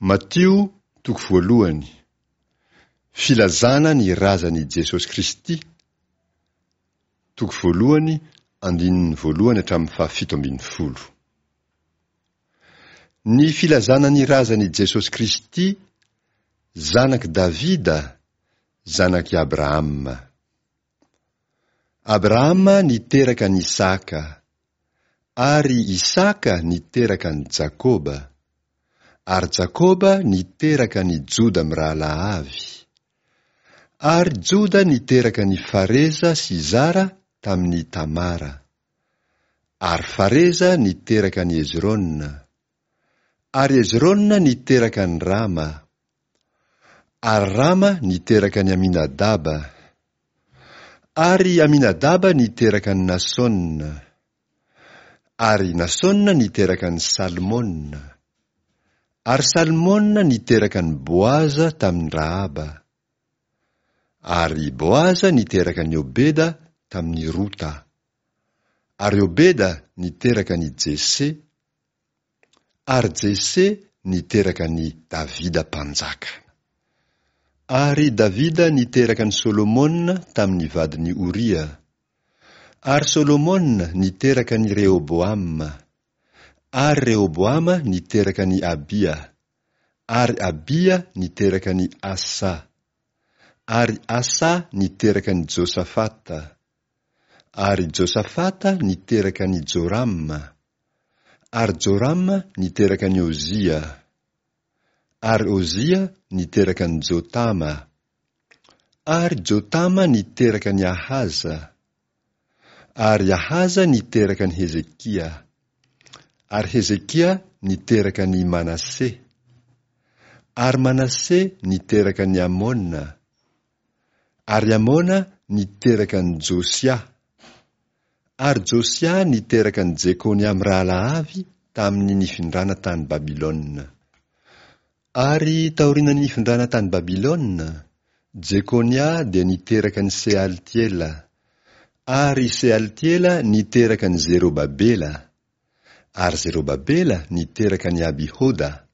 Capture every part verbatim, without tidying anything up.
Matio toko voalohany. Filazana ny razan'i Jesosy Kristy, toko voalohany, andininy voalohany hatramin'ny fahafito ambin'ny folo. Ny filazana ny razan'i Jesosy Kristy, zanak'i Davida, zanak'i Abrahama. Abrahama niteraka an'i Isaka, ary Isaka niteraka an'i Jakoba, ary Jakoba niteraka an'i Joda mirahalahy avy, ary Joda niteraka an'i Fareza sy Zara tamin'i Tamara, ary Fareza niteraka an'i Hezrona, ary Hezrona niteraka an'i Rama, ary Rama niteraka an'i Aminadaba, ary Aminadaba niteraka an'i Nasona, ary Nasona niteraka an'i Salmona, ary Salmona niteraka an'i Boaza tamin'i Rahaba, ary Boaza niteraka an'i Obeda tamin'i Rota, ary Obeda niteraka an'i Jese, ary Jese niteraka an'i Davida mpanjaka. Ary Davida niteraka an'i Solomona tamin'ny vadin'i Oria, ary Solomona niteraka an'i Rehoboama, ary Rehoboama niteraka an'i Abia, ary Abia niteraka an'i Asa, ary Asa niteraka an'i Josafata, ary Josafata niteraka an'i Jorama, ary Jorama niteraka an'i Ozia, ary Ozia niteraka an'i Jotama, ary Jotama niteraka an'i Ahaza, ary Ahaza niteraka an'i Hezekia, ary Hezekia niteraka an'i Manase, ary Manase niteraka an'i Amona, ary Amona niteraka an'i Josia, ary Josia niteraka an'i Jekonia mirahalahy avy tamin'ny nifindrana tany Babylona. Ary taorian'ny nifindrana tany Babylona, Jekonia dia niteraka an'i Sealtiela, ary Sealtiela niteraka an'i Zerobabela, ary Zerobabela niteraka an'i Abihoda,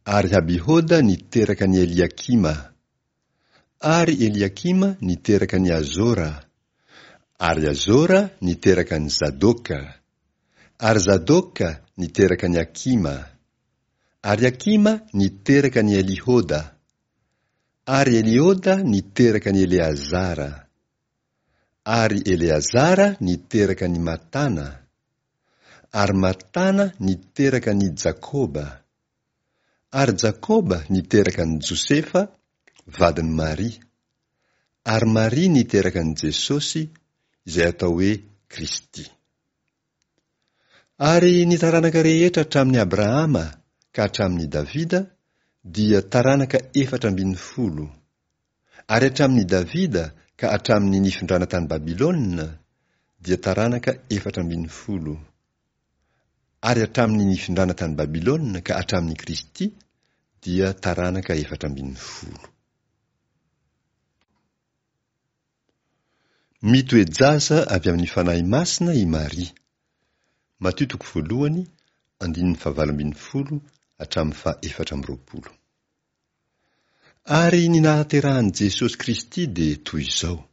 ary Abihoda niteraka an'i Eliakima, ary Eliakima niteraka an'i Azora, ary Azora niteraka an'i Zadoka, ary Zadoka niteraka an'i Akima, ary Akima niteraka an'i Elihoda, ary Elihoda niteraka an'i Eleazara, ary Eleazara niteraka an'i Matana, ary Matana niteraka an'i Jakoba, ary Jakoba niteraka an'i Josefa, vadin'i Maria, ary Maria niteraka an'i Jesosy, izay atao hoe Kristy. Ary ny taranaka rehetra hatramin'i Abrahama ka hatramin'i Davida dia taranaka efatra ambin'ny folo, ary hatramin'i Davida ka hatramin'ny nifindrana tany Babylona dia taranaka efatra ambin'ny folo, ary hatramin'ny nifindrana tany Babylona ka hatramin'i Kristy dia taranaka efatra ambin'ny folo. Mitoe-jaza avy amin'ny Fanahy Masina i Maria. Matio toko voalohany, andininy fahavalo ambin'ny folo hatramin'ny faha efatra amby roapolo. Ary ny nahaterahan'i Jesosy Kristy dia toy izao.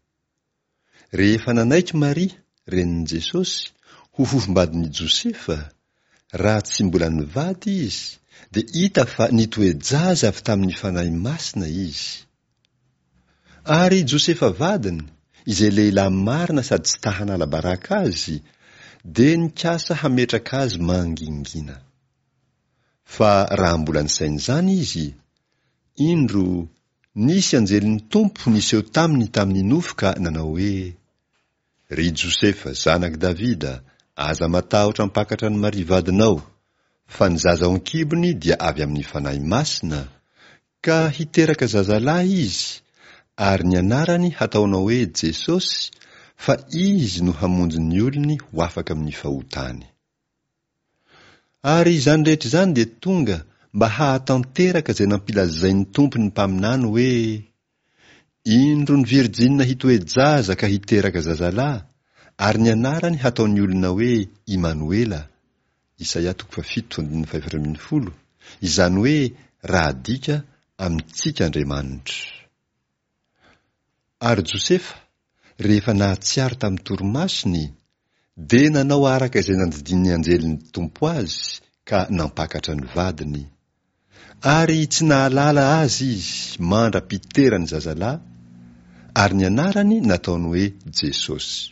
Rehefa nanaiky Maria, renin'i Jesosy, ho fofombadin'i Josefa, raha tsy mbola nivady izy, dia hita fa nitoe-jaza avy tamin'ny Fanahy Masina izy. Ary Josefa vadiny, izay lehilahy marina sady tsy ta-hanala baraka azy, dia nikasa hametraka azy mangingina. Fa raha mbola nisaina izany izy, indro, nisy anjelin'ny Tompo niseho taminy tamin'ny nofy ka nanao hoe: Ry Josefa, zanak'i Davida, aza matahotra hampakatra an'i Maria vadinao, fa ny zaza ao an-kibony dia avy amin'ny Fanahy Masina, ka hiteraka zazalahy izy, ary ny anarany hataonao hoe Jesosy, fa izy no hamonjy ny olony ho afaka amin'ny fahotany. Ary izany rehetra izany dia tonga mba hahatanteraka izay nampilazain'ny Tompo ny mpaminany hoe: Indro ny virjinina hitoe-jaza ka hiteraka zazalahy, ary ny anarany hataon'ny olona hoe Imanoela, Isaia toko fahafito andininy fahefatra ambin'ny folo, Izany hoe raha adika, amintsika Andriamanitra. Ary Josefa, rehefa nahatsiaro tamin'ny torimasony, dia nanao araka izay nandidian'ny anjelin'ny Tompo azy ka nampakatra ny vadiny. Ary tsy nahalala azy izy mandra-piterany zazalahy, ary ny anarany nataony hoe Jesosy.